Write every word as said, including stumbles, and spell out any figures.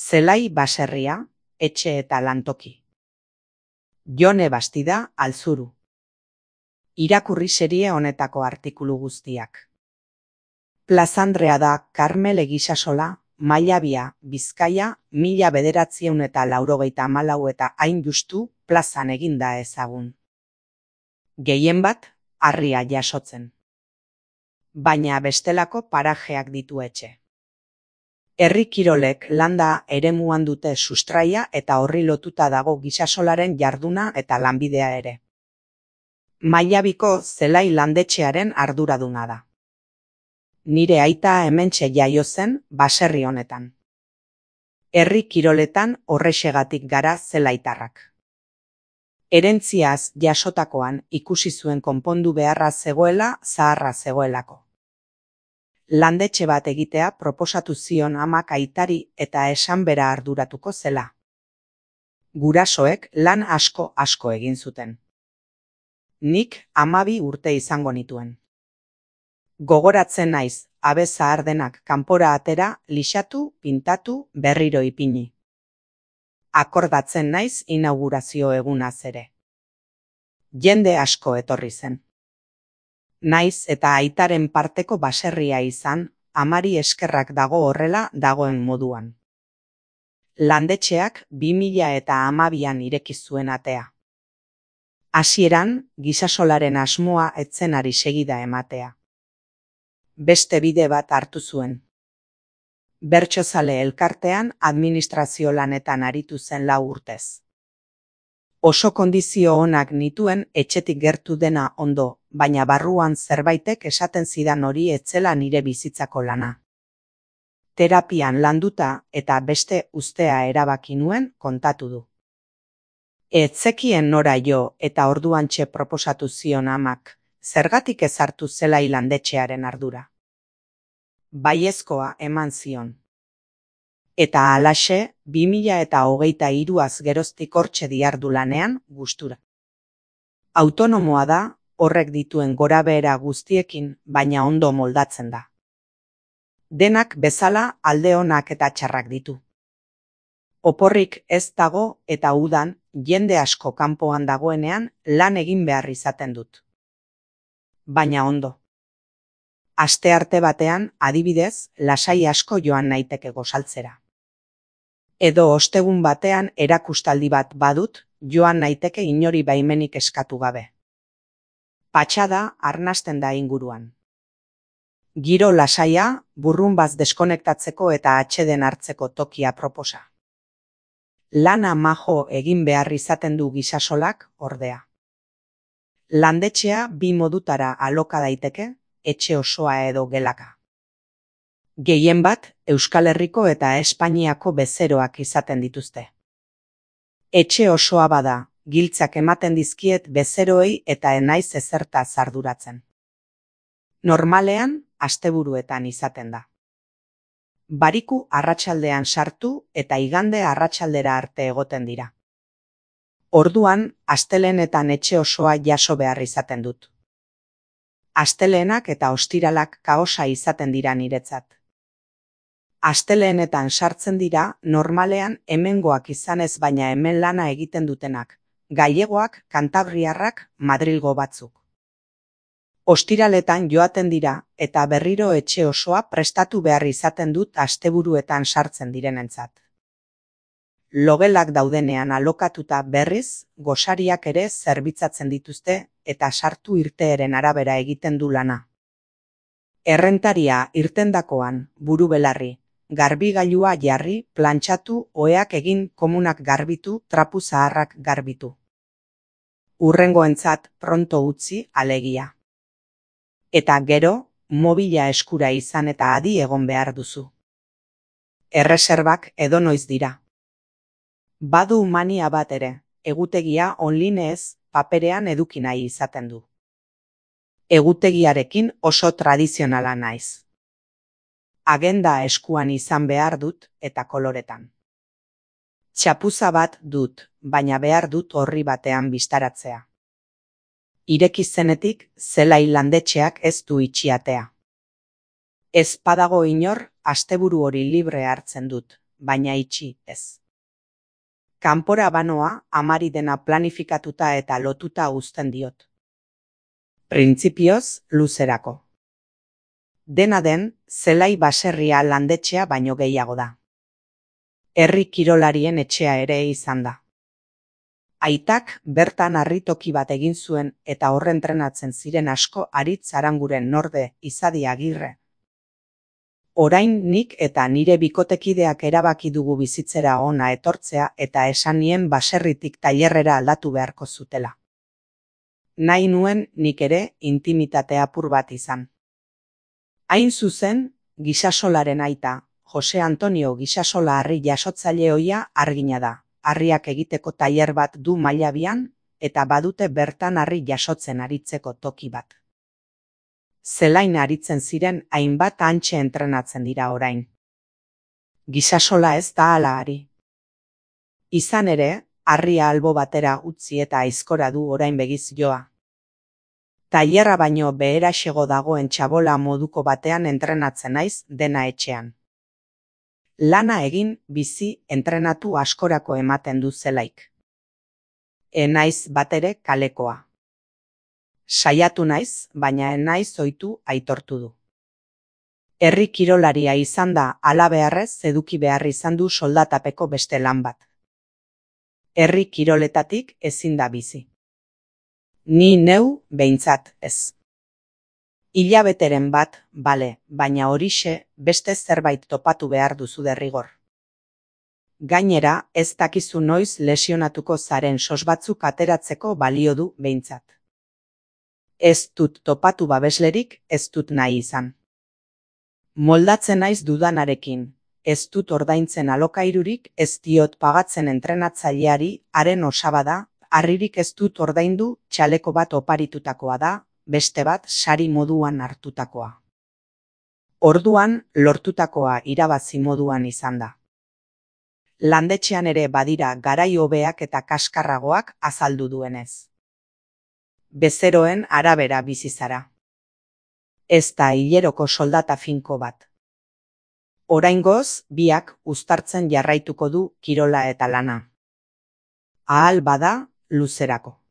Zelai baserria, etxe eta lantoki. Jone Bastida, Altzuru. Irakurri serie honetako artikulu guztiak. Plazandrea da Karmel Egisasola, Mailabia, Bizkaia, mila bederatziehun eta laurogeita hamalau eta hain justu plazan eginda ezagun. Gehien bat, harria jasotzen. Baina bestelako parajeak ditu etxe. Herri kirolek landa eremuan dute sustraia eta horri lotuta dago gisasolaren jarduna eta lanbidea ere. Mailabiko zelai landetxearen arduraduna da. Nire aita hementxe jaio zen baserri honetan. Herri kiroletan horrexegatik gara zelaitarrak. Herentziaz jasotakoan ikusi zuen konpondu beharra zegoela zaharra zegoelako. Landetxe bat egitea proposatu zion amak aitari eta esan bera arduratuko zela. Gurasoek lan asko asko egin zuten. Nik hamabi urte izango nituen. Gogoratzen naiz, abe zahar denak kanpora atera, lixatu, pintatu, berriro ipini. Akordatzen naiz inaugurazio egunaz ere. Jende asko etorri zen. Naiz eta aitaren parteko baserria izan, amari eskerrak dago horrela dagoen moduan. Landetxeak bi mila eta hamabian ireki zuen atea. Hasieran, gisasolaren asmoa etzen ari segida ematea. Beste bide bat hartu zuen. Bertsozale elkartean administrazio lanetan aritu zen lau urtez. Oso kondizio onak nituen etxetik gertu dena ondo, baina barruan zerbaitek esaten zidan hori etzela nire bizitzako lana. Terapian landuta eta beste uztea erabaki nuen kontatu du. Etzekien nora jo eta orduantxe proposatu zion amak, zergatik ezartu zelai landetxearen ardura. Baiezkoa eman zion. Eta halaxe, bi mila eta hogeita hiruaz geroztik hortxe dihardu lanean gustura. Autonomoa da, horrek dituen gorabehera guztiekin, baina ondo moldatzen da. Denak bezala alde onak eta txarrak ditu. Oporrik ez dago eta udan jende asko kanpoan dagoenean lan egin behar izaten dut. Baina ondo. Astearte batean, adibidez, lasai asko joan naiteke gozaltzera. Edo ostegun batean erakustaldi bat badut, joan naiteke inori baimenik eskatu gabe. Patxada arnasten da inguruan. Giro lasaia, burrunbaz deskonektatzeko eta atseden hartzeko tokia proposa. Lana majo egin behar izaten du gisasolak, ordea. Landetxea bi modutara aloka daiteke, etxe osoa edo gelaka. Gehien bat, Euskal Herriko eta Espainiako bezeroak izaten dituzte. Etxe osoa bada, giltzak ematen dizkiet bezeroei eta enaiz ezerta zarduratzen. Normalean, asteburuetan izaten da. Bariku arratsaldean sartu eta igande arratsaldera arte egoten dira. Orduan, astelehenetan etxe osoa jaso behar izaten dut. Asteleenak eta ostiralak kaosa izaten dira niretzat. Asteleenetan sartzen dira, normalean hemengoak izanez baina hemen lana egiten dutenak, gallegoak, kantabriarrak, Madrilgo batzuk. Ostiraletan joaten dira eta berriro etxe osoa prestatu behar izaten dut asteburuetan sartzen direnentzat. Logelak daudenean alokatuta berriz, gosariak ere zerbitzatzen dituzte eta sartu irteeren arabera egiten du lana. Errentaria irtendakoan, buru belarri, garbigailua jarri, plantxatu, oheak egin, komunak garbitu, trapu zaharrak garbitu. Hurrengoentzat pronto utzi alegia. Eta gero, mobila eskura izan eta adi egon behar duzu. Erreserbak edonoiz dira. Badu mania bat ere, egutegia onlinez, paperean eduki nahi izaten du. Egutegiarekin oso tradizionala naiz. Agenda eskuan izan behar dut eta koloretan. Txapuza bat dut, baina behar dut orri batean bistaratzea. Ireki zenetik, zelai landetxeak ez du itxiatea. Ez padago inor, asteburu hori libre hartzen dut, baina itxi ez. Kanpora banoa amari dena planifikatuta eta lotuta uzten diot. Printzipioz luzerako. Dena den, zelai baserria landetxea baino gehiago da. Herri kirolarien etxea ere izan da. Aitak bertan harritoki bat egin zuen eta horren entrenatzen ziren asko Aritz Aranguren norde Izadi Agirre. Orain nik eta nire bikotekideak erabaki dugu bizitzera ona etortzea eta esan nien baserritik tailerrera aldatu beharko zutela. Nahi nuen nik ere intimitate apur bat izan. Hain zuzen, Gisasolaren aita, Jose Antonio Gisasola harri jasotzaile ohia argina da. Harriak egiteko tailer bat du Mailabian eta badute bertan harri jasotzen aritzeko toki bat. Zelain aritzen ziren hainbat hantxe entrenatzen dira orain. Gisasola ez da hala ari. Izan ere, harria albo batera utzi eta aizkora du orain begiz joa. Tailerra baino beheraxego dagoen txabola moduko batean entrenatzen naiz dena etxean. Lana egin, bizi, entrenatu askorako ematen du zelaik. E naiz batere kalekoa. Saiatu naiz, baina ez naiz ohitu aitortu du. Herri kirolaria izan da halabeharrez eduki behar izan du soldatapeko beste lan bat. Herri kiroletatik ezin da bizi. Ni neu behintzat ez. Hilabeteren bat, bale, baina horixe beste zerbait topatu behar duzu derrigor. Gainera, ez dakizu noiz lesionatuko zaren sos batzuk ateratzeko balio du behintzat. Ez dut topatu babeslerik, ez dut nahi izan. Moldatzen naiz dudanarekin, ez dut ordaintzen alokairurik, ez diot pagatzen entrenatzaileari, haren osaba da, harririk ez dut ordaindu, txaleko bat oparitutakoa da, beste bat sari moduan hartutakoa. Orduan lortutakoa irabazi moduan izan da. Landetxean ere badira garai hobeak eta kaskarragoak azaldu duenez. Bezeroen arabera bizi zara. Ez da hileroko soldata finko bat. Oraingoz, biak uztartzen jarraituko du kirola eta lana. Ahal bada, luzerako.